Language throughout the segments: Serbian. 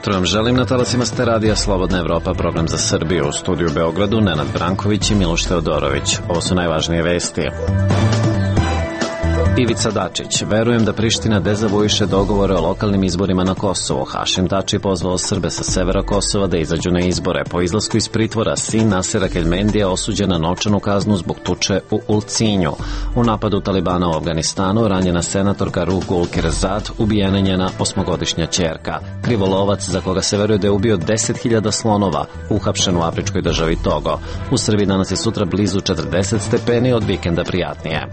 jutro vam želim na talasima ste radija Slobodna Evropa, program za Srbiju. U studiju u Beogradu Nenad Branković i Miloš Teodorović. Ovo su najvažnije vesti. Ivica Dačić: verujem da Priština dezavuiše dogovore o lokalnim izborima na Kosovu. Hašim Tači pozvao Srbe sa severa Kosova da izađu na izbore. Po izlasku iz pritvora sin Nasera Keljmendija osuđen na novčanu kaznu zbog tuče u Ulcinju. U napadu Talibana u Afganistanu ranjena senatorka Ruh Gulkirzad, ubijena njena 8-godišnja ćerka. Krivolovac, za koga se veruje da je ubio 10.000 slonova, uhapšen u afričkoj državi Togo. U Srbiji danas je sutra blizu 40 stepeni, od vikenda prijatnije.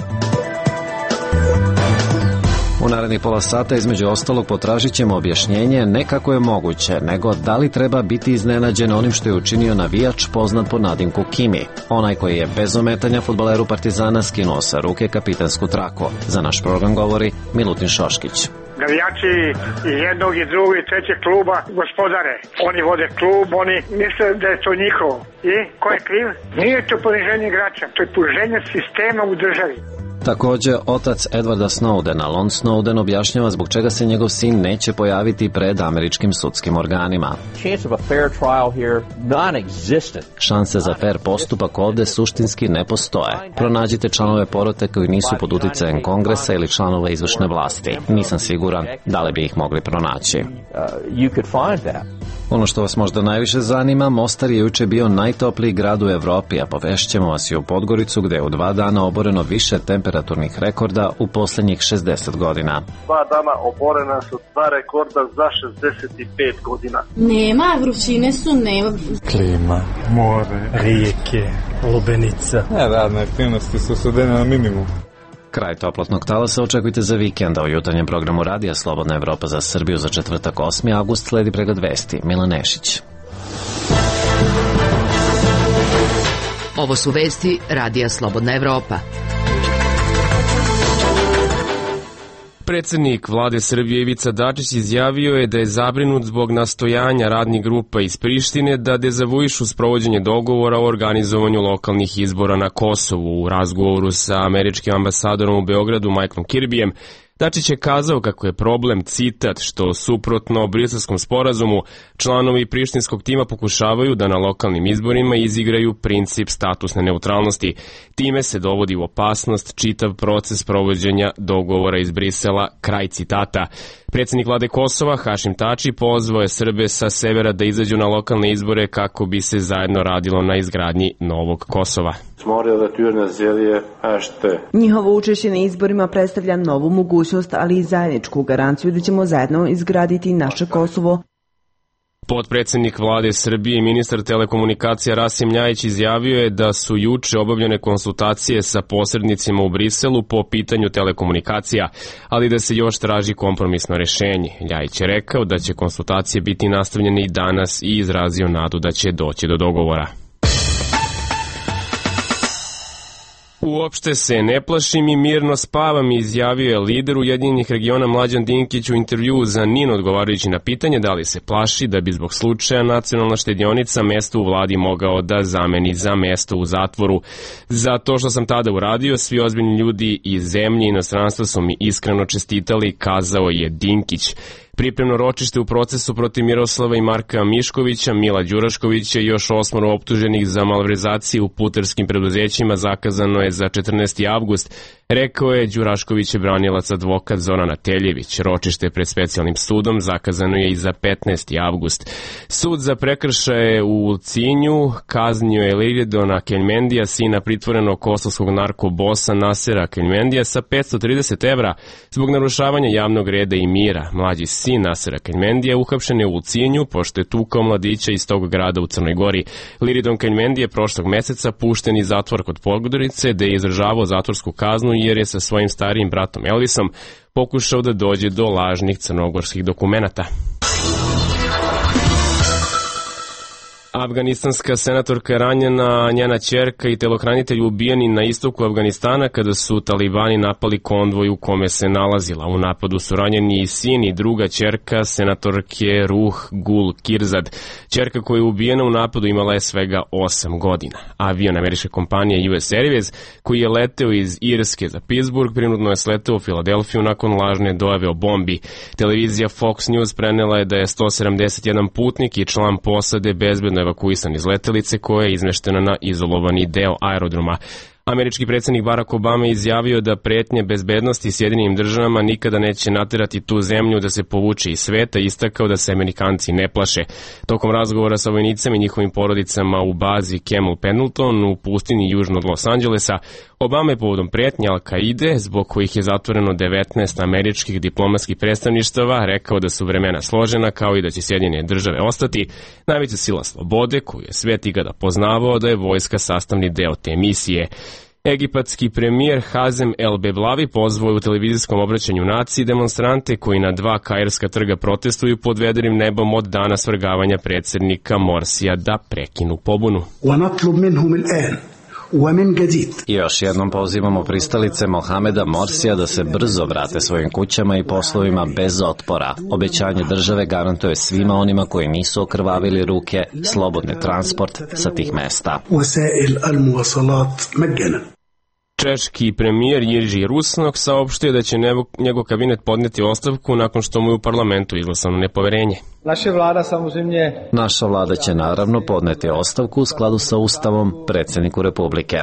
U narednih pola sata između ostalog potražit ćemo objašnjenje ne kako je moguće, nego da li treba biti iznenađen onim što je učinio navijač poznat po nadimku Kimi, onaj koji je bez ometanja fudbaleru Partizana skinuo sa ruke kapitansku traku. Za naš program govori Milutin Šoškić. Navijači i jednog i drugog i trećeg kluba gospodare. Oni vode klub, oni misle da je to njihovo. I ko je kriv? Nije to poniženje igrača, to je poniženje sistema u državi. Također, otac Edwarda Snowdena, Lon Snowden, objašnjava zbog čega se njegov sin neće pojaviti pred američkim sudskim organima. Šanse za fair postupak ovde suštinski ne postoje. Pronađite članove porote koji nisu pod uticajem Kongresa ili članova izvršne vlasti. Nisam siguran da li bi ih mogli pronaći. Ono što vas možda najviše zanima, Mostar je juče bio najtopliji grad u Evropi, a povešćemo vas i u Podgoricu gde je u 2 dana oboreno više temperaturnih rekorda u posljednjih 60 godina. 2 dana oborena su 2 rekorda za 65 godina. Nema, vrućine su, nema. Klima, more, rijeke, lubenica. Radne aktivnosti su svedene na minimum. Kraj toplotnog talasa očekujte za vikenda. U jutarnjem programu radija Slobodna Evropa za Srbiju za četvrtak 8. avgust sledi pregled vesti. Milan Nešić. Ovo su vesti radija Slobodna Evropa. Predsednik vlade Srbije Ivica Dačić izjavio je da je zabrinut zbog nastojanja radnih grupa iz Prištine da dezavuišu sprovođenje dogovora o organizovanju lokalnih izbora na Kosovu. U razgovoru sa američkim ambasadorom u Beogradu Michaelom Kirbyjem, Dačić je kazao kako je problem, citat, što suprotno Briselskom sporazumu članovi prištinskog tima pokušavaju da na lokalnim izborima izigraju princip statusne neutralnosti. Time se dovodi u opasnost čitav proces provođenja dogovora iz Brisela, kraj citata. Predsednik vlade Kosova Hašim Tači pozvao je Srbe sa severa da izađu na lokalne izbore kako bi se zajedno radilo na izgradnji novog Kosova. Njihovo učešće na izborima predstavlja novu mogućnost, ali i zajedničku garanciju da ćemo zajedno izgraditi naše Kosovo. Potpredsednik vlade Srbije i ministar telekomunikacija Rasim Ljajić izjavio je da su juče obavljene konsultacije sa posrednicima u Briselu po pitanju telekomunikacija, ali da se još traži kompromisno rešenje. Ljajić je rekao da će konsultacije biti nastavljene i danas i izrazio nadu da će doći do dogovora. Uopšte se ne plašim i mirno spavam, izjavio je lider Ujedinjenih regiona Mlađan Dinkić u intervjuu za NIN odgovarajući na pitanje da li se plaši da bi zbog slučaja nacionalna štedionica mesto u vladi mogao da zameni za mesto u zatvoru. Za to što sam tada uradio, svi ozbiljni ljudi iz zemlje i inostranstva su mi iskreno čestitali, kazao je Dinkić. Pripremno ročište u procesu protiv Miroslava i Marka Miškovića, Mila Đuraškovića i još 8 optuženih za malverzacije u putarskim preduzećima zakazano je za 14. avgust, rekao je Đurašković branilac advokat Zorana Teljević. Ročište pred specijalnim sudom zakazano je i za 15. avgust. Sud za prekršaje u Ulcinju kaznio je Liridona Keljmendija, sina pritvorenog kosovskog narkobosa Nasera Keljmendija, sa 530 evra zbog narušavanja javnog reda i mira. Mlađi sin Nasera Keljmendija uhapšen je u Ulcinju pošto je tukao mladića iz tog grada u Crnoj Gori. Liridon Keljmendija je prošlog meseca pušten iz zatvora kod Podgorice, gde je izdržavao zatvorsku kaznu jer je sa svojim starijim bratom Elvisom pokušao da dođe do lažnih crnogorskih dokumenata. Afganistanska senatorka je ranjena, njena ćerka i telohranitelj ubijeni na istoku Afganistana kada su talibani napali konvoj u kome se nalazila. U napadu su ranjeni i sin i druga ćerka senatorke Ruh Gul Kirzad. Ćerka koja je ubijena u napadu imala je svega 8 godina. Avion američke kompanije US Airways, koji je leteo iz Irske za Pittsburgh, prinudno je sleteo u Filadelfiju nakon lažne dojave o bombi. Televizija Fox News prenela je da je 171 putnik i član posade bezbedno evakuisan iz letelice koja je izmeštena na izolovani deo aerodroma. Američki predsjednik Barack Obama izjavio da pretnje bezbednosti Sjedinjenim državama nikada neće naterati tu zemlju da se povuče iz sveta i istakao da se Amerikanci ne plaše. Tokom razgovora sa vojnicama i njihovim porodicama u bazi Camel Pendleton u pustinji južno od Los Angelesa, Obama je povodom pretnje Al-Kaide, zbog kojih je zatvoreno 19 američkih diplomatskih predstavništava, rekao da su vremena složena kao i da će Sjedinjene države ostati najveća sila slobode koju je svet ikada poznavao, da je vojska sastavni deo te misije. Egipatski premijer Hazem El Beblavi pozvao u televizijskom obraćanju naciji demonstrante koji na 2 kairska trga protestuju pod vedrim nebom od dana svrgavanja predsjednika Morsija da prekinu pobunu. I još jednom pozivamo pristalice Mohameda Morsija da se brzo vrate svojim kućama i poslovima bez otpora. Obećanje države garantuje svima onima koji nisu okrvavili ruke slobodni transport sa tih mesta. Češki premijer Jiří Rusnok saopštio da će njegov kabinet podneti ostavku nakon što mu je u parlamentu izglasano nepoverenje. Naša vlada će naravno podneti ostavku u skladu sa Ustavom predsjedniku Republike.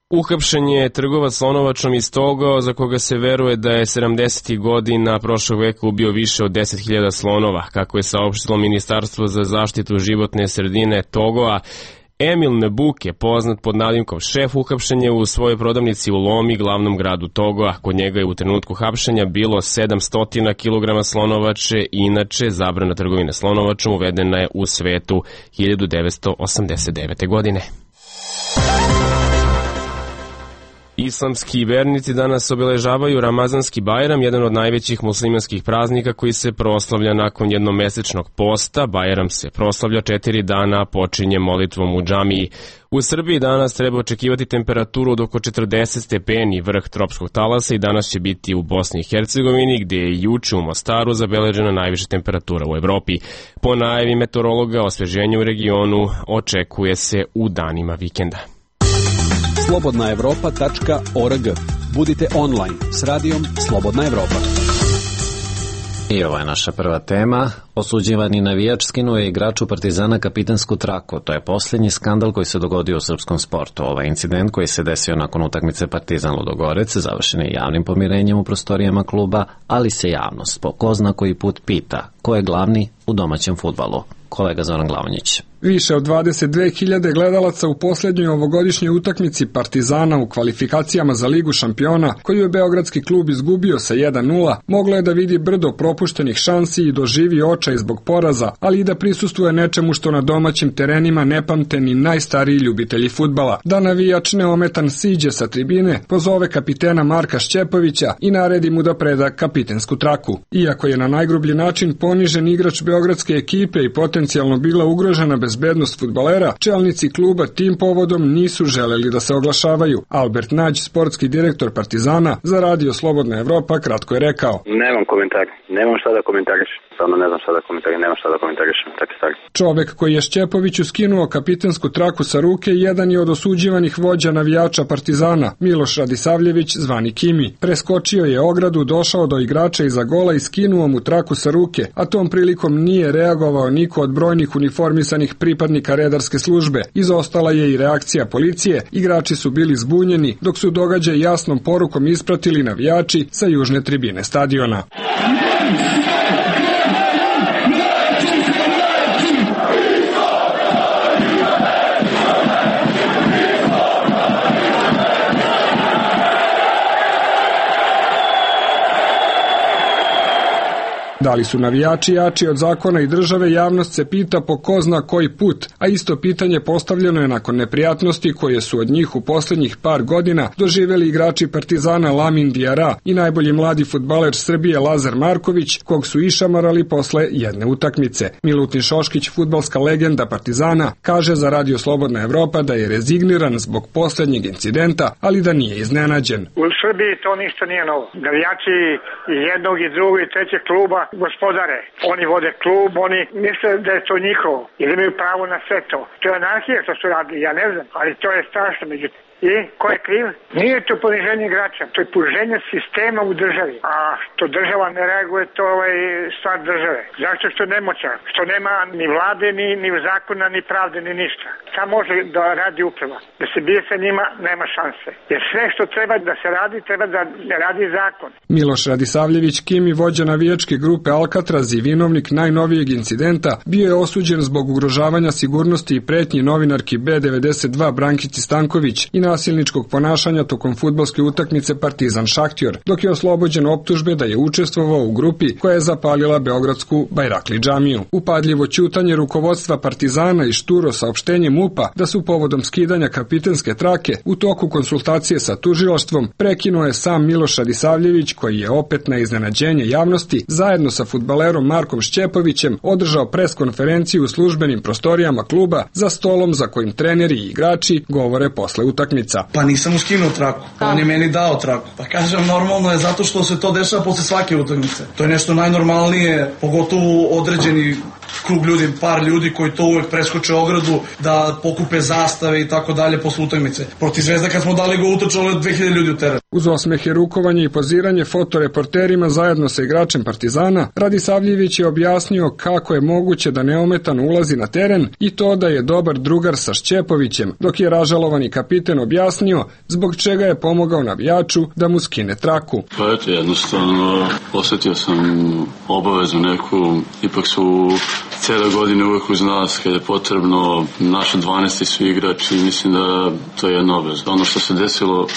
Uhapšen je trgovac slonovačom iz Togo, za koga se veruje da je 70. godina prošlog veka ubio više od 10.000 slonova. Kako je saopštilo Ministarstvo za zaštitu životne sredine Togoa, Emil Nebuke, poznat pod nadimkom Šef, uhapšen je u svojoj prodavnici u Lomi, glavnom gradu Togoa. Kod njega je u trenutku hapšenja bilo 700 kg slonovače, inače zabrana trgovine slonovačom uvedena je u svetu 1989. godine. Islamski vernici danas obeležavaju Ramazanski Bajram, jedan od najvećih muslimanskih praznika koji se proslavlja nakon jednomesečnog posta. Bajram se proslavlja 4 dana, počinje molitvom u džamiji. U Srbiji danas treba očekivati temperaturu od oko 40 stepeni, vrh tropskog talasa, i danas će biti u Bosni i Hercegovini, gdje je juče u Mostaru zabeležena najviša temperatura u Evropi. Po najavi meteorologa, osveženje u regionu očekuje se u danima vikenda. slobodnaevropa.org. Budite online s radijom Slobodna Evropa. I ovo je naša prva tema. Osuđivani navijač skinuo je igraču Partizana kapitensku traku. To je posljednji skandal koji se dogodio u srpskom sportu. Ovaj incident koji se desio nakon utakmice Partizan Ludogorec završen je javnim pomirenjem u prostorijama kluba, ali se javnost po ko zna koji put pita ko je glavni u domaćem fudbalu. Kolega Zoran Glavonjić. Više od 22.000 gledalaca u posljednjoj ovogodišnjoj utakmici Partizana u kvalifikacijama za Ligu šampiona, koju je beogradski klub izgubio sa 1:0, moglo je da vidi brdo propuštenih šansi i doživi očaj zbog poraza, ali i da prisustvuje nečemu što na domaćim terenima ne pamte ni najstariji ljubitelji fudbala. Da navijač neometan siđe sa tribine, pozove kapitena Marka Šćepovića i naredi mu da preda kapitensku traku. Iako je na najgrublji način ponižen igrač beogradske ekipe i potencijalno bila ugrožena bezbednost fudbalera, čelnici kluba tim povodom nisu želeli da se oglašavaju. Albert Nađ, sportski direktor Partizana, za radio Slobodna Evropa, kratko je rekao: Nemam komentar, nemam šta da komentariš. Samo ne znam šta da komentariš, nemam šta da komentarišem, tako stvari. Čovek koji je Šćepoviću skinuo kapitensku traku sa ruke jedan je od osuđivanih vođa navijača Partizana, Miloš Radisavljević, zvani Kimi. Preskočio je ogradu, došao do igrača iza gola i skinuo mu traku sa ruke, a tom prilikom nije reagovao niko od brojnih uniformisanih pripadnika redarske službe. Izostala je i reakcija policije, igrači su bili zbunjeni, dok su događaj jasnom porukom ispratili navijači sa južne tribine stadiona. Da li su navijači jači od zakona i države, javnost se pita po ko zna koji put, a isto pitanje postavljeno je nakon neprijatnosti koje su od njih u poslednjih par godina doživeli igrači Partizana Lamin Diarra i najbolji mladi fudbaler Srbije Lazar Marković, kog su išamarali posle jedne utakmice. Milutin Šoškić, fudbalska legenda Partizana, kaže za Radio Slobodna Evropa da je rezigniran zbog poslednjeg incidenta, ali da nije iznenađen. U Srbiji to ništa nije novo. Navijači jednog i drugog i trećeg kluba gospodare. Oni vode klub, oni misle da je to njihovo i da imaju pravo na sve to. To je anarhija što su radili, ja ne znam, ali to je strašno. Međutim, i ko je kriv? Nije to poniženje igrača, to je poniženje sistema u državi. A što država ne reaguje, to je stvar države. Zašto što je nemoćan? Što nema ni vlade, ni zakona, ni pravde, ni ništa. Šta može da radi uprava? Da se bije sa njima, nema šanse. Jer sve što treba da se radi, treba da radi zakon. Miloš Radisavljević Kimi, vođa navijačke grupe Alcatraz i vinovnik najnovijeg incidenta, bio je osuđen zbog ugrožavanja sigurnosti i pretnji novinarki B92 Brankici Stanković i nasilničkog ponašanja tokom fudbalske utakmice Partizan Šahtjor, dok je oslobođen optužbe da je učestvovao u grupi koja je zapalila beogradsku Bajrakli džamiju. Upadljivo ćutanje rukovodstva Partizana i šturo saopštenje MUP-a da su povodom skidanja kapitenske trake u toku konsultacije sa tužilaštvom prekinuo je sam Miloš Radisavljević, koji je opet na iznenađenje javnosti zajedno sa fudbalerom Markom Šćepovićem održao preskonferenciju u službenim prostorijama kluba za stolom za kojim treneri i igrači govore posle utakmice. Pa nisam mu skinuo traku, on je meni dao traku. Pa kažem, normalno je zato što se to dešava posle svake utakmice. To je nešto najnormalnije, pogotovo određeni krug ljudi, par ljudi koji to uvek preskoče ogradu da pokupe zastave i tako dalje posle utakmice. Protiv Zvezda kad smo dali go utrčalo 2000 ljudi u teren. Uz osmehe, rukovanje i poziranje fotoreporterima zajedno sa igračem Partizana, Radisavljević je objasnio kako je moguće da neometano ulazi na teren i to da je dobar drugar sa Šćepovićem, dok je ražalovani kapiten objasnio zbog čega je pomogao navijaču da mu skine traku. Pa eto, jednostavno osetio sam obavezu neku, ipak su cijele godine uvek uz nas kad je potrebno, naši 12 su igrači, mislim da to je jedna obaveza. Ono što se desilo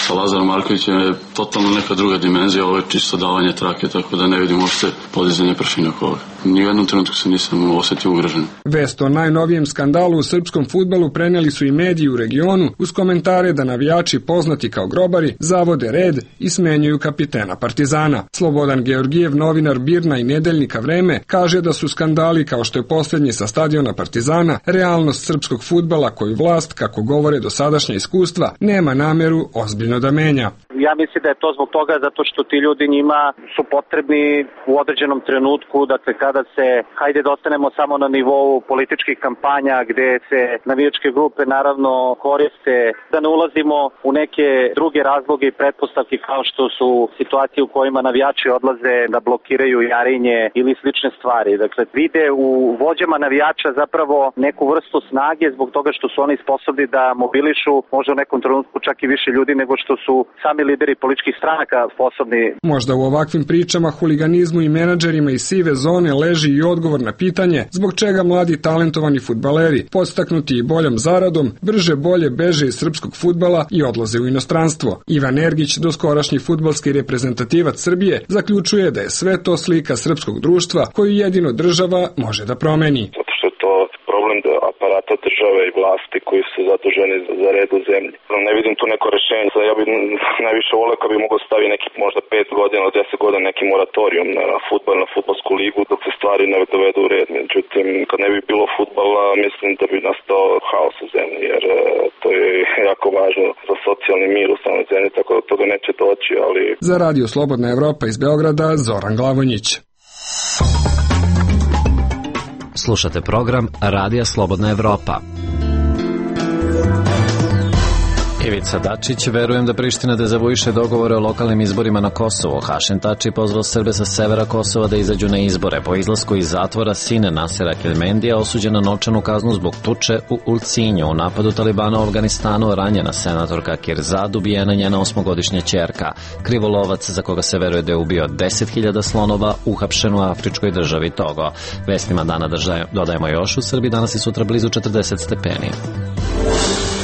sa Lazarom Markovićem je totalno neka druga dimenzija, ovo je čisto davanje trake, tako da ne vidim uopšte podizanje pršine oko ovoga. Ni u jednom trenutku se nisam osetio ugrožen. Vest o najnovijem skandalu u srpskom fudbalu preneli su i mediji u regionu uz komentare da navijači poznati kao grobari zavode red i smenjuju kapitena Partizana. Slobodan Georgijev, novinar Birna i nedeljnika Vreme, kaže da su skandali kao što je posljednji sa stadiona Partizana realnost srpskog fudbala koju vlast, kako govore dosadašnja iskustva, nema nameru ozbiljno da menja. Ja mislim da je to zbog toga zato što ti ljudi njima su potrebni u određenom trenutku, dakle kada se, hajde da ostanemo samo na nivou političkih kampanja gde se navijačke grupe naravno koriste, da ne ulazimo u neke druge razloge i pretpostavke kao što su situacije u kojima navijači odlaze da blokiraju Jarinje ili slične stvari. Dakle, vide u vođama navijača zapravo neku vrstu snage zbog toga što su oni sposobni da mobilišu možda u nekom trenutku čak i više ljudi nego što su sami lideri političkih stranaka sposobni. Možda u ovakvim pričama, huliganizmu i menadžerima iz sive zone leži i odgovor na pitanje zbog čega mladi talentovani fudbaleri, podstaknuti i boljom zaradom, brže bolje beže iz srpskog fudbala i odlaze u inostranstvo. Ivan Ergić, doskorašnji fudbalski reprezentativac Srbije, zaključuje da je sve to slika srpskog društva koju jedino država može da promeni. Zato što je to problem aparata države i vlasti koji su zaduženi za red u zemlji. Ne vidim tu neko rešenje. Ja bih najviše voleo kad bi mogao staviti neki možda 5 godina, 10 godina neki moratorium na fudbal, na fudbalsku ligu dok se stvari ne dovedu u red. Međutim, kad ne bi bilo fudbala, mislim da bi nastao haos u zemlji, jer to je jako važno za socijalni mir u samoj zemlji, tako da toga neće doći, ali... Za Radio Slobodna Evropa iz Beograda, Zoran Glavonjić. Slušate program Radija Slobodna Evropa. Ivica Dačić, verujem da Priština dezavuiše dogovore o lokalnim izborima na Kosovo. Hašim Tači pozvao Srbe sa severa Kosova da izađu na izbore. Po izlasku iz zatvora sine Nasera Kelmendija osuđen na novčanu kaznu zbog tuče u Ulcinju. U napadu Talibana u Afganistanu ranjena senatorka Kirzad, ubijena njena 8-godišnja ćerka. Krivolovac, za koga se veruje da je ubio 10.000 slonova, uhapšen u afričkoj državi Togo. Vestima dana dodajemo još, u Srbiji danas i sutra blizu 40 stepeni.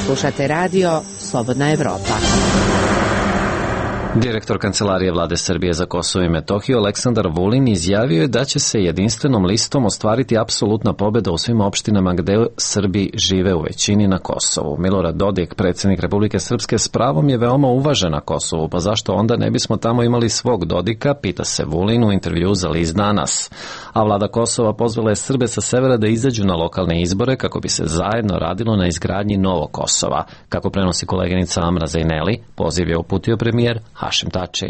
Slušate radio Slobodna Evropa. Direktor Kancelarije Vlade Srbije za Kosovo i Metohiju Aleksandar Vulin izjavio je da će se jedinstvenom listom ostvariti apsolutna pobeda u svim opštinama gde Srbi žive u većini na Kosovu. Milorad Dodik, predsjednik Republike Srpske, s pravom je veoma uvažen na Kosovu, pa zašto onda ne bismo tamo imali svog Dodika, pita se Vulin u intervju za list Danas. A vlada Kosova pozvala je Srbe sa severa da izađu na lokalne izbore kako bi se zajedno radilo na izgradnji novog Kosova. Kako prenosi koleginica Amra Zejneli, poziv je uputio premijer Hašim Tači.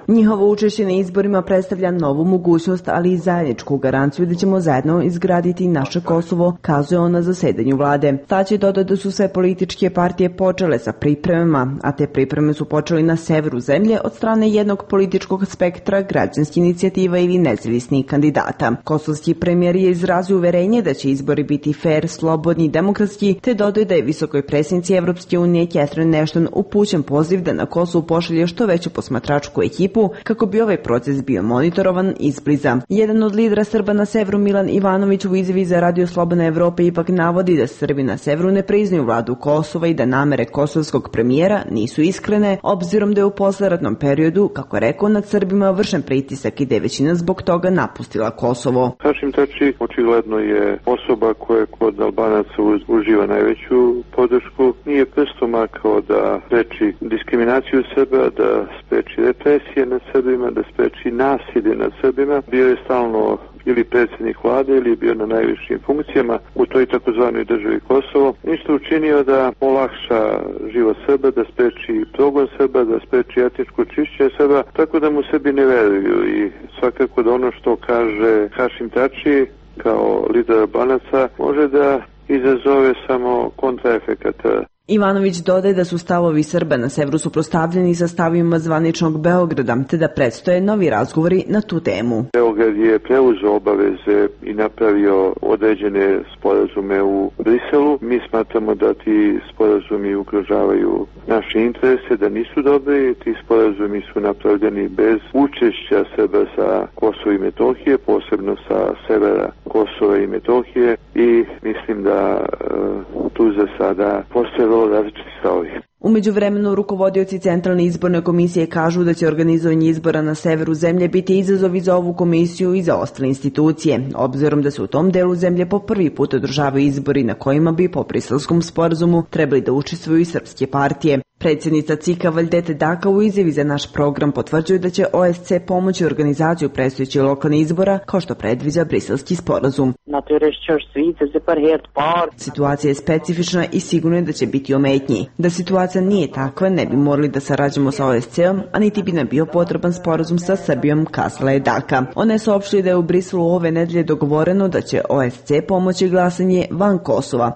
Njihovo učešće na izborima predstavlja novu mogućnost, ali i zajedničku garanciju da ćemo zajedno izgraditi naše Kosovo, kazuje on na zasedanju vlade. Tači dodao da su sve političke partije počele sa pripremama, a te pripreme su počeli na severu zemlje od strane jednog političkog spektra, građanskih inicijativa ili nezavisnih kandidata. Kosovski premijer je izrazio uverenje da će izbori biti fair, slobodni i demokratski, te dodao da je visokoj predsjednici Evropske unije Catherine Ashton upućen poziv da na Kosovu pošalje što veću posmatračku ekipu kako bi ovaj proces bio monitorovan izbliza. Jedan od lidera Srba na severu, Milan Ivanović, u izjavi za Radio Slobodna Evropa ipak navodi da Srbi na severu ne priznaju vladu Kosova i da namere kosovskog premijera nisu iskrene, obzirom da je u posleratnom periodu, kako je rekao, nad Srbima vršen pritisak i da je većina zbog toga napustila Kosovo. Hašim Tači očigledno je osoba koja kod Albanaca uživa najveću podršku. Nije prstom makao da spreči diskriminaciju Srba, da spreči represije nad Srbima, da spreči nasilje nad Srbima. Bio je stalno ili predsjednik vlade ili bio na najvišim funkcijama u toj takozvanoj državi Kosovo. Ništa učinio da olakša život Srba, da spreči progon Srba, da spreči etničko čišćenje Srba, tako da mu Srbi ne veruju i svakako da ono što kaže Hašim Tači kao lider Albanaca može da izazove samo kontraefekata. Ivanović dodaje da su stavovi Srba na severu suprotstavljeni sa stavima zvaničnog Beograda, te da predstoje novi razgovori na tu temu. Beograd je preuzeo obaveze i napravio određene sporazume u Briselu. Mi smatramo da ti sporazumi ugrožavaju naše interese, da nisu dobri. Ti sporazumi su napravljeni bez učešća Srba sa Kosova i Metohije, posebno sa severa Kosova i Metohije, i mislim da tu za sada postoje vrlo različiti stavovi. U međuvremenu rukovodioci Centralne izborne komisije kažu da će organizovanje izbora na severu zemlje biti izazov i za ovu komisiju i za ostale institucije, obzirom da se u tom delu zemlje po prvi put održavaju izbori na kojima bi po Briselskom sporazumu trebali da učestvuju i srpske partije. Predsjednica CIK-a Valdete Daka u izjavi za naš program potvrđuje da će OSC pomoći organizaciju predstojećih lokalnih izbora kao što predviđa Briselski sporazum. Situacija je specifična i sigurno je da će biti ometnji. Da situacija nije takva, ne bi morali da sarađujemo sa OSC-om, a niti bi nam bio potreban sporazum sa Srbijom, kazala je Daka. Ona je saopštila da je u Briselu ove nedelje dogovoreno da će OSC pomoći glasanje van Kosova.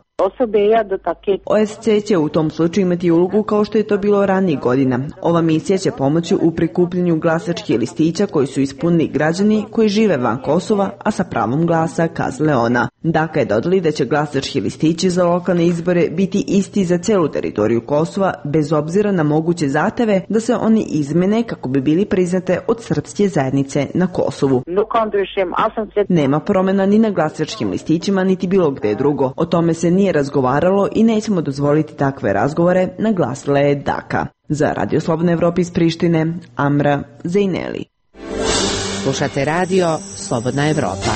OSC će u tom slučaju imati ulogu kao što je to bilo ranijih godina. Ova misija će pomoći u prikupljanju glasačkih listića koji su ispunili građani koji žive van Kosova, a sa pravom glasa, kazale ona. Daka je dodali da će glasački listići za lokalne izbore biti isti za celu teritoriju Kosova, bez obzira na moguće zahteve da se oni izmene kako bi bili priznate od srpske zajednice na Kosovu. Nema promjena ni na glasačkim listićima, niti bilo gde drugo. O tome se nije razgovaralo i nećemo dozvoliti takve razgovore, naglasila je Daka. Za Radio Slobodna Evropa iz Prištine, Amra Zejneli. Slušate Radio Slobodna Evropa.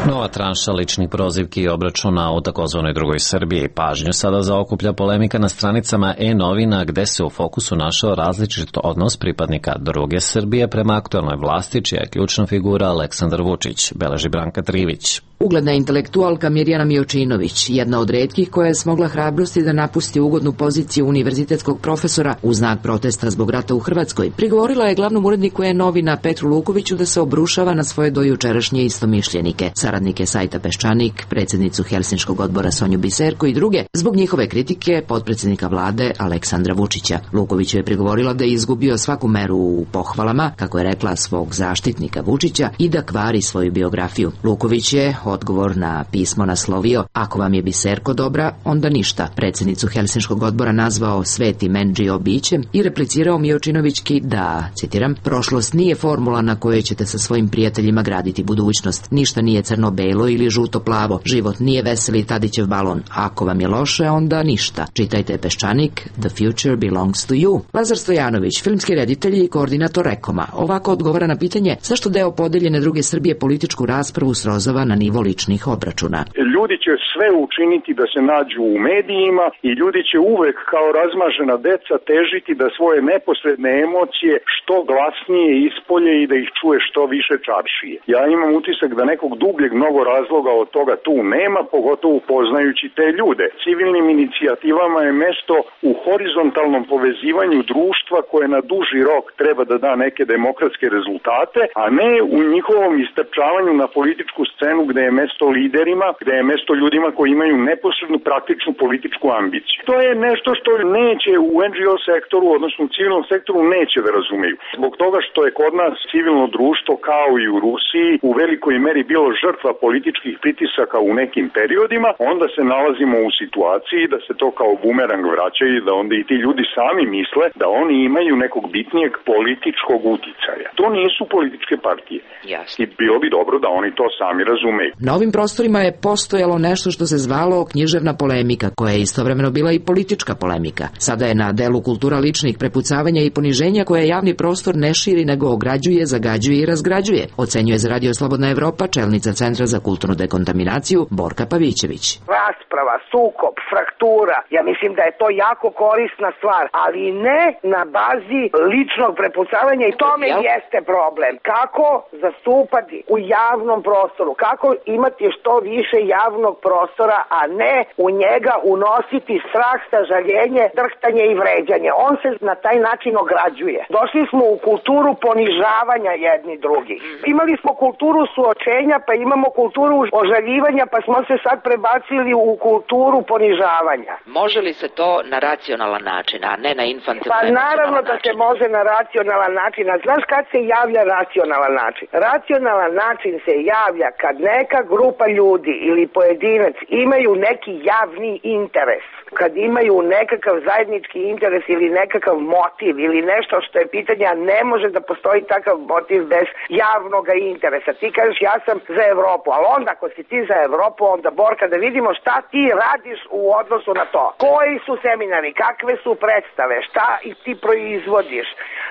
Nova tranša ličnih prozivki i obračuna u takozvanoj drugoj Srbiji. Pažnju sada zaokuplja polemika na stranicama e-novina gde se u fokusu našao različit odnos pripadnika druge Srbije prema aktuelnoj vlasti, čija je ključna figura Aleksandar Vučić, beleži Branka Trivić. Ugledna intelektualka Mirjana Miočinović, jedna od retkih koja je smogla hrabrosti da napusti ugodnu poziciju univerzitetskog profesora u znak protesta zbog rata u Hrvatskoj, prigovorila je glavnom uredniku e-novina Petru Lukoviću da se obrušava na svoje dojučerašnje istomišljenike, saradnike sajta Peščanik, predsjednicu Helsinškog odbora Sonju Biserko i druge, zbog njihove kritike potpredsjednika vlade Aleksandra Vučića. Lukoviću je prigovorila da je izgubio svaku meru u pohvalama, kako je rekla, svog zaštitnika Vučića i da kvari svoju biografiju. Luković je odgovor na pismo naslovio "Ako vam je biserko dobra, onda ništa", predsjednicu Helsinškog odbora nazvao svetim NGO bićem i replicirao Miočinovićki da, citiram, "prošlost nije formula na kojoj ćete sa svojim prijateljima graditi budućnost. Ništa nije crno-belo ili žuto-plavo. Život nije veseli Tadićev balon. Ako vam je loše, onda ništa." Čitajte Peščanik, "The future belongs to you." Lazar Stojanović, filmski reditelj i koordinator Rekoma, ovako odgovara na pitanje zašto deo podeljene druge Srbije političku raspravu srozava na nivo ličnih obračuna. Ljudi će sve učiniti da se nađu u medijima i ljudi će uvek kao razmažena deca težiti da svoje neposredne emocije što glasnije ispolje i da ih čuje što više čaršije. Ja imam utisak da nekog dubljeg mnogo razloga od toga tu nema, pogotovo poznajući te ljude. Civilnim inicijativama je mesto u horizontalnom povezivanju društva koje na duži rok treba da da neke demokratske rezultate, a ne u njihovom istrčavanju na političku scenu gde je mesto liderima, gde je mesto ljudima koji imaju neposrednu praktičnu političku ambiciju. To je nešto što neće u NGO sektoru, odnosno u civilnom sektoru neće da razumeju. Zbog toga što je kod nas civilno društvo kao i u Rusiji u velikoj meri bilo žrtva političkih pritisaka u nekim periodima, onda se nalazimo u situaciji da se to kao bumerang vraća i da onda i ti ljudi sami misle da oni imaju nekog bitnijeg političkog uticaja. To nisu političke partije. Jasne. I bilo bi dobro da oni to sami razumeju. Na ovim prostorima je postojalo nešto što se zvalo književna polemika, koja je istovremeno bila i politička polemika. Sada je na delu kultura ličnih prepucavanja i poniženja koja javni prostor ne širi nego ograđuje, zagađuje i razgrađuje, ocenjuje za Radio Slobodna Evropa čelnica Centra za kulturnu dekontaminaciju Borka Pavićević. Rasprava, sukob, fraktura, ja mislim da je to jako korisna stvar, ali ne na bazi ličnog prepucavanja i tome jeste problem. Kako zastupati u javnom prostoru, kako imati što više javnog prostora, a ne u njega unositi strah, sažaljenje, drhtanje i vređanje. On se na taj način ograđuje. Došli smo u kulturu ponižavanja jedni drugih. Imali smo kulturu suočenja, pa imamo kulturu ožaljivanja, pa smo se sad prebacili u kulturu ponižavanja. Može li se to na racionalan način, a ne na infantilno? Pa naravno da se može na racionalan način. A znaš kad se javlja racionalan način? Racionalan način se javlja kad neka grupa ljudi ili pojedinac imaju neki javni interes. Kad imaju nekakav zajednički interes ili nekakav motiv ili nešto što je pitanje, a ne može da postoji takav motiv bez javnog interesa. Ti kažeš ja sam za Evropu, ali onda ako si ti za Evropu, onda Borka da vidimo šta ti radiš u odnosu na to. Koji su seminari, kakve su predstave, šta ti proizvodiš,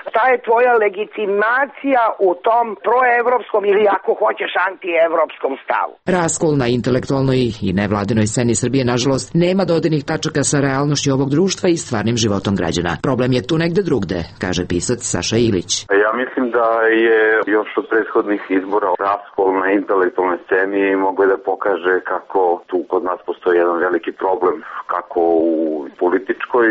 šta je tvoja legitimacija u tom proevropskom ili ako hoćeš antievropskom stavu. Raskol na intelektualnoj i nevladinoj sceni Srbije, nažalost, nema dodirnih tačaka sa realnošću ovog društva i stvarnim životom građana. Problem je tu negde drugde, kaže pisac Saša Ilić. Ja mislim da je još od prethodnih izbora raskol na intelektualnoj sceni mogao da pokaže kako tu kod nas postoji jedan veliki problem, kako u političkoj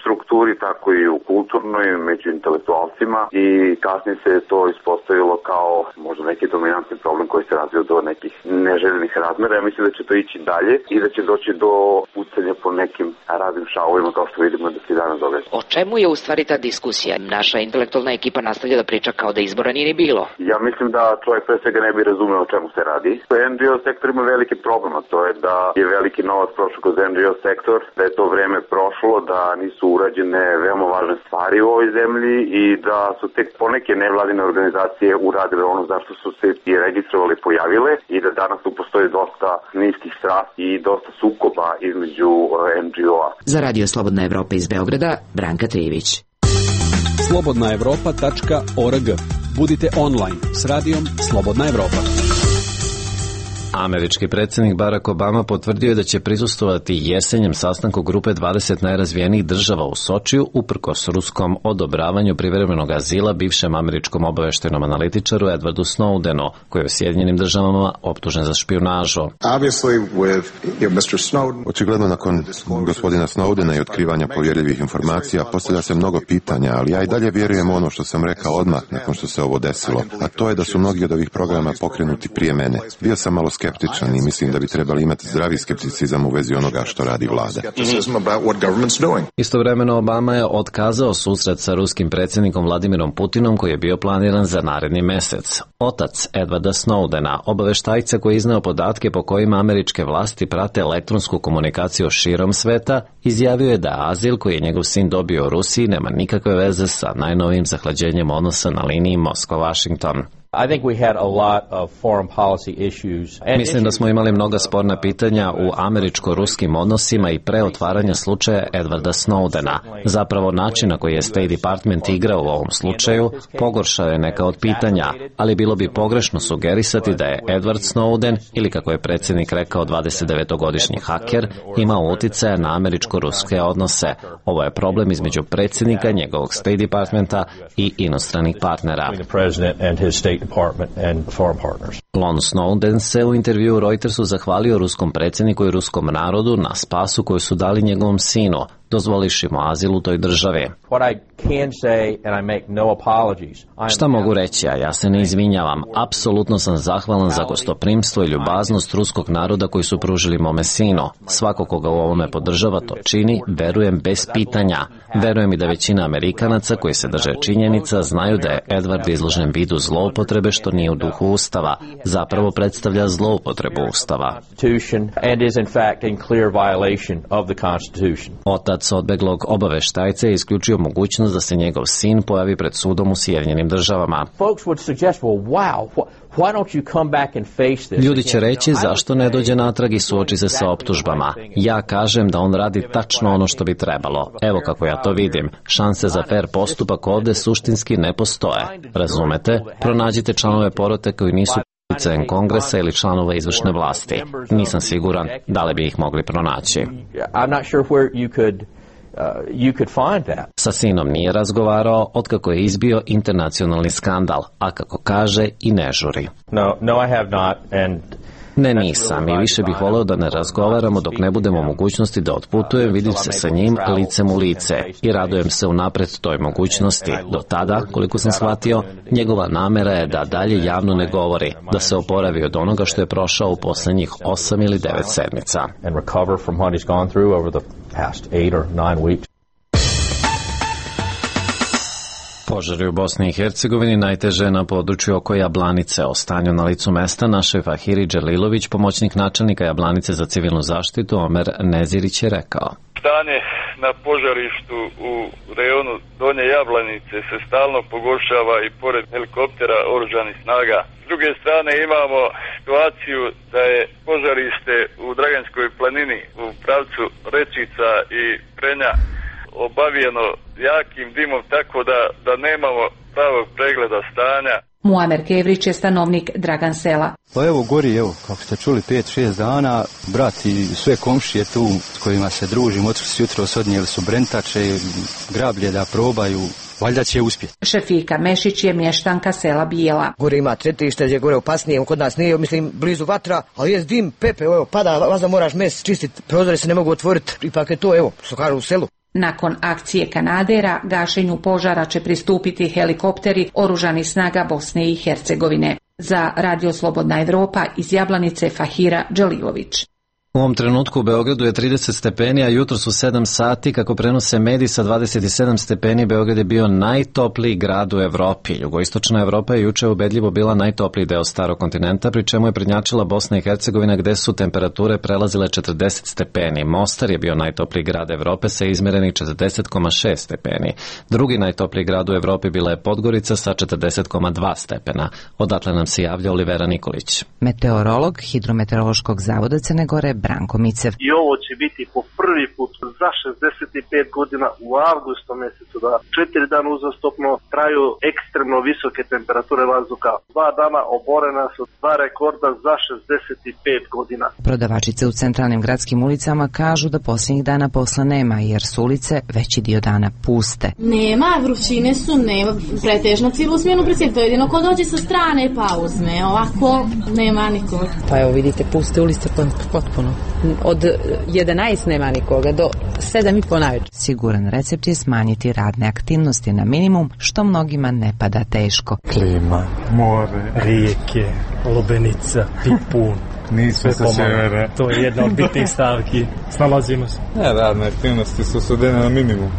strukturi, tako i u kulturnoj, među intelektualcima, i kasnije se to ispostavilo kao možda neki dominantni problem koji se razvio do nekih neželjenih razmera. Ja mislim da će to ići dalje i da će doći do pucanja po nekim raznim šavovima kao što vidimo da se danas događa. O čemu je u stvari ta diskusija? Naša intelektualna ekipa nastavlja da priča kao da izbora nije ni bilo. Ja mislim da čovjek pre svega ne bi razumeo o čemu se radi. NGO sektor ima veliki problem, a to je da je veliki novac prošao kroz NGO sektor, da je to vreme prošlo, da nisu urađene veoma važne stvari u ovoj zemlji i da su tek poneke nevladine organizacije uradile ono zašto su se i registrovali, pojavile, i da danas tu postoji dosta niskih strasti i dosta sukoba između NGO-a. Za Radio Slobodna Evropa iz Beograda, Branka Trijević. slobodnaevropa.org. Budite online s radijom Slobodna Evropa. Američki predsjednik Barack Obama potvrdio je da će prisustvovati jesenjem sastanku grupe 20 najrazvijenijih država u Sočiju uprkos ruskom odobravanju privremenog azila bivšem američkom obaveštajnom analitičaru Edwardu Snowdenu, koji je u Sjedinjenim državama optužen za špijunažu. Očigledno nakon gospodina Snowdena i otkrivanja povjerljivih informacija postavlja se mnogo pitanja, ali ja i dalje vjerujem ono što sam rekao odmah nakon što se ovo desilo, a to je da su mnogi od ovih programa pokrenuti prije mene. Bio sam malo skeptičan skeptičan i mislim da bi trebali imati zdravi skepticizam u vezi onoga što radi vlada. Istovremeno Obama je otkazao susret sa ruskim predsjednikom Vladimirom Putinom koji je bio planiran za naredni mesec. Otac Edwarda Snowdena, obaveštajca koji je izneo podatke po kojima američke vlasti prate elektronsku komunikaciju širom sveta, izjavio je da azil koji je njegov sin dobio u Rusiji nema nikakve veze sa najnovijim zahlađenjem odnosa na liniji Moskva-Washington. Mislim da smo imali mnoga sporna pitanja u američko-ruskim odnosima i pre otvaranja slučaja Edwarda Snowdena. Zapravo način na koji je State Department igrao u ovom slučaju pogoršao je neka od pitanja, ali bilo bi pogrešno sugerisati da je Edward Snowden, ili kako je predsjednik rekao 29-godišnji haker, imao uticaja na američko-ruske odnose. Ovo je problem između predsjednika, njegovog State Departmenta i inostranih partnera. Lon Snowden se u intervjuu Reutersu zahvalio ruskom predsjedniku i ruskom narodu na spasu koju su dali njegovom sinu, dozvoliši mu azil u toj državi. Šta mogu reći, a ja se ne izvinjavam. Apsolutno sam zahvalan za gostoprimstvo i ljubaznost ruskog naroda koji su pružili mome sinu. Svako koga u ovome podržava to čini, verujem bez pitanja. Verujem i da većina Amerikanaca koji se drže činjenica znaju da je Edward izložen vidu zloupotrebe što nije u duhu Ustava. Zapravo predstavlja zloupotrebu Ustava. Otac odbeglog obaveštajca je isključio mogućnost da se njegov sin pojavi pred sudom u Sjedinjenim Državama. Ljudi će reći zašto ne dođe natrag i suoči se sa optužbama. Ja kažem da on radi tačno ono što bi trebalo. Evo kako ja to vidim. Šanse za fair postupak ovde suštinski ne postoje. Razumete? Pronađite članove porote koji nisu utjecajem Kongresa ili članova izvršne vlasti. Nisam siguran da li bi ih mogli pronaći. Sa sinom nije razgovarao otkako je izbio internacionalni skandal, a kako kaže i ne žuri. Ne, nisam i više bih voleo da ne razgovaramo dok ne budemo u mogućnosti da otputujem, vidim se sa njim licem u lice i radujem se unapred toj mogućnosti. Do tada, koliko sam shvatio, njegova namera je da dalje javno ne govori, da se oporavi od onoga što je prošao u poslednjih 8 ili 9 sedmica. Požari u Bosni i Hercegovini najteže na području oko Jablanice. O stanju na licu mesta našoj Fahiri Dželilović, pomoćnik načelnika Jablanice za civilnu zaštitu, Omer Nezirić je rekao. Stanje na požarištu u rejonu Donje Jablanice se stalno pogoršava i pored helikoptera oružanih snaga. S druge strane imamo situaciju da je požarište u Draganskoj planini u pravcu Rečica i Prenja obavijeno jakim dimom, tako da nemamo pravog pregleda stanja. Muamer Kevrić je stanovnik Dragan sela. Pa evo gori, kako ste čuli, 5-6 dana, brat i sve komšije tu s kojima se družim, otkako su jutros odnijeli su brentače, grablje da probaju, valjda će uspjeti. Šefika Mešić je mještanka sela Bijela. Gore ima tretište, gdje gore opasnije, kod nas nije, mislim, blizu vatra, ali je dim, pepe, pada, vazda moraš mes čistiti, prozori se ne mogu otvoriti, ipak je to, što kažu u selu. Nakon akcije Kanadera, gašenju požara će pristupiti helikopteri oružanih snaga Bosne i Hercegovine. Za Radio Slobodna Evropa iz Jablanice Fahira Dželilović. U ovom trenutku u Beogradu je 30 stepeni, a jutro su 7 sati, kako prenose mediji sa 27 stepeni, Beograd je bio najtopliji grad u Evropi. Jugoistočna Evropa je juče ubedljivo bila najtopliji deo starog kontinenta, pri čemu je prednjačila Bosna i Hercegovina gde su temperature prelazile 40 stepeni. Mostar je bio najtopliji grad Evrope sa izmerenih 40,6 stepeni. Drugi najtopliji grad u Evropi bila je Podgorica sa 40,2 stepena. Odatle nam se javlja Olivera Nikolić. Meteorolog Hidrometeorološkog zavoda Crne Gore Branko Micev. I ovo će biti po prvi put za 65 godina u avgustu mjesecu da 4 dana uzastopno traju ekstremno visoke temperature vazduha. 2 dana oborena su 2 rekorda za 65 godina. Prodavačice u centralnim gradskim ulicama kažu da posljednjih dana posla nema jer su ulice veći dio dana puste. Nema, vrućine su, nema pretežno cijelu smjenu predsjediti. To je jedino ko dođe sa strane pa uzme. Ovako nema nikog. Pa evo vidite, puste ulice potpuno. Od 11 nema nikoga do 7:30 najveće. Siguran recept je smanjiti radne aktivnosti na minimum, što mnogima ne pada teško. Klima, more, rijeke, lubenica, pipun, Nismo sa severa. To je jedna od bitnih stavki. Snalazimo se. Radne aktivnosti su svedene na minimum.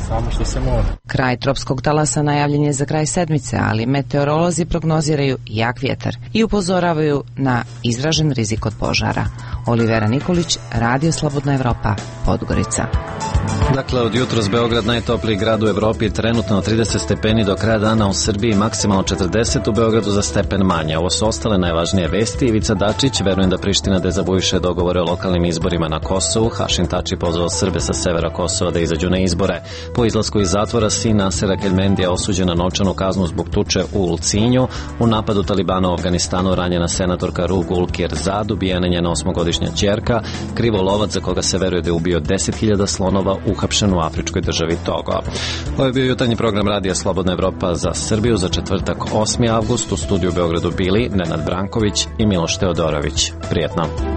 Samo što se mora. Kraj tropskog talasa najavljen je za kraj sedmice, ali meteorolozi prognoziraju jak vjetar i upozoravaju na izražen rizik od požara. Olivera Nikolić, Radio Slobodna Evropa, Podgorica. Dakle, od jutros Beograd najtopliji grad u Evropi, trenutno 30 stepeni, do kraja dana u Srbiji maksimalno 40, u Beogradu za stepen manje. Ovo su ostale najvažnije vesti. Ivica Dačić, verujem da Priština dezavuiše dogovore o lokalnim izborima na Kosovu. Hašim Tači pozvao Srbe sa severa Kosova da izađu na izbore. Po izlasku iz zatvora sin Nasera Kelmendija osuđen na novčanu kaznu zbog tuče u Ulcinju. U napadu Talibana u Afganistanu ranjena senatorka Ru Gulkir-Zad, ubijena njena 8-godišnja ćerka. Krivolovac za koga se veruje da je ubio 10.000 slonova uhapšen u afričkoj državi Togo. Ovo je bio jutarnji program Radija Slobodna Evropa za Srbiju za četvrtak 8. avgust. U studiju u Beogradu bili Nenad Branković i Miloš Teodorović. Prijetno.